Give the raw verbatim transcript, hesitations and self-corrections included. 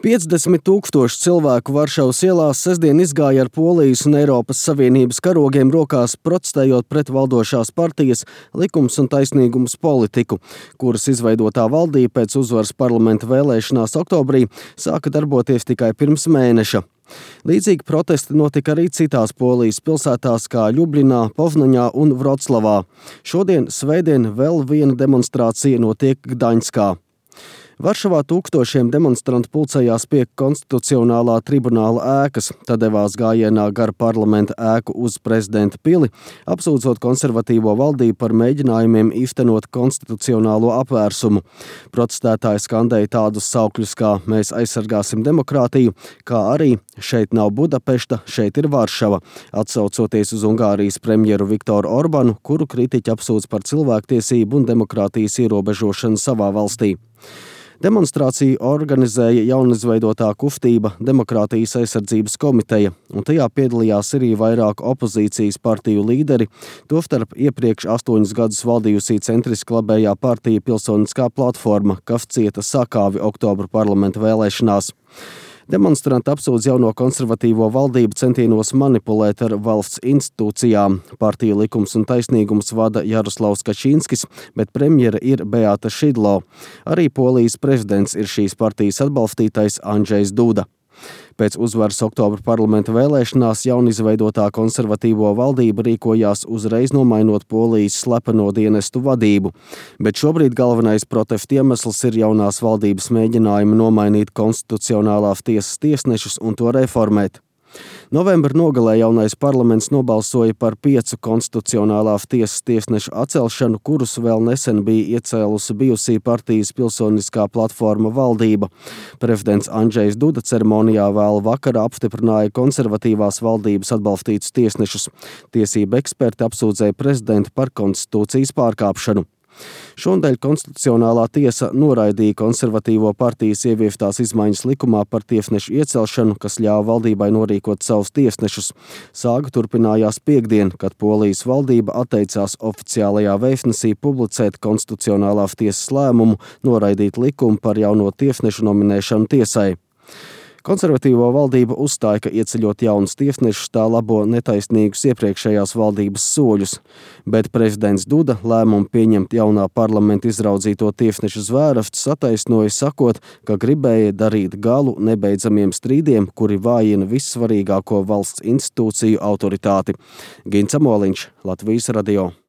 piecdesmit tūkstoši cilvēku Varšavas ielās sestdien izgāja ar Polijas un Eiropas Savienības karogiem rokās, protestējot pret valdošās partijas Likums un taisnīgums politiku, kuras izveidotā valdība pēc uzvaras parlamenta vēlēšanās oktobrī sāka darboties tikai pirms mēneša. Līdzīgi protesti notika arī citās Polijas pilsētās kā Ļubļinā, Povnaņā un Vroclavā. Šodien, svētdien, vēl viena demonstrācija notiek Gdaņskā. Varšavā tūkstošiem demonstrantu pulcējās pie konstitucionālā tribunāla ēkas, tad devās gājienā gar parlamenta ēku uz prezidenta pili, apsūdzot konservatīvo valdību par mēģinājumiem īstenot konstitucionālo apvērsumu. Protestētāji skandēja tādus saukļus kā "Mēs aizsargāsim demokrātiju", kā arī "Šeit nav Budapešta, šeit ir Varšava", atsaucoties uz Ungārijas premjeru Viktoru Orbanu, kuru kritiķi apsūdz par cilvēktiesību un demokrātijas ierobežošanu savā valstī. Demonstrāciju organizēja jaunizveidotā kustība Demokrātijas aizsardzības komiteja, un tajā piedalījās arī vairāk opozīcijas partiju līderi, tostarp iepriekš astoņus gadus valdījusī centriski labējā partija Pilsoniskā platforma, kas cieta sakāvi oktobra parlamenta vēlēšanās. Demonstranti apsūdz jauno konservatīvo valdību centienos manipulēt ar valsts institūcijām. Partija Likums un taisnīgums vada Jaroslavs Kačinskis, bet premjera ir Beata Šidlo. Arī Polijas prezidents ir šīs partijas atbalstītais Andžejs Duda. Pēc uzvaras oktobra parlamenta vēlēšanās jaunizveidotā konservatīvo valdība rīkojās uzreiz nomainot Polijas slepeno dienestu vadību, bet šobrīd galvenais protestu iemesls ir jaunās valdības mēģinājumi nomainīt konstitucionālās tiesas tiesnešus un to reformēt. Novembra nogalē jaunais parlaments nobalsoja par piecu konstitucionālās tiesas tiesnešu atcelšanu, kurus vēl nesen bija iecēlusi bijusī partijas Pilsoniskā platforma valdība. Prezidents Andžejs Duda ceremonijā vēl vakarā apstiprināja konservatīvās valdības atbalstītus tiesnešus. Tiesība eksperti apsūdzēja prezidentu par konstitūcijas pārkāpšanu. Šonadēļ Konstitucionālā tiesa noraidīja konservatīvo partijas ieviestās izmaiņas likumā par tiesnešu iecelšanu, kas ļāva valdībai norīkot savus tiesnešus. Sāga turpinājās piektdien, kad Polijas valdība atteicās oficiālajā vēstnesī publicēt Konstitucionālās tiesas lēmumu noraidīt likumu par jauno tiesnešu nominēšanu tiesai. Konservatīvo valdība uzstāja, ka ieceļot jaunus tiesnešus tā labo netaisnīgus iepriekšējās valdības soļus, bet prezidents Duda lēmumu pieņemt jaunā parlamenta izraudzīto tiesnešu zvērastus attaisnoja, sakot, ka gribēja darīt galu nebeidzamiem strīdiem, kuri vājina vissvarīgāko valsts institūciju autoritāti. Gints Amoliņš, Latvijas radio.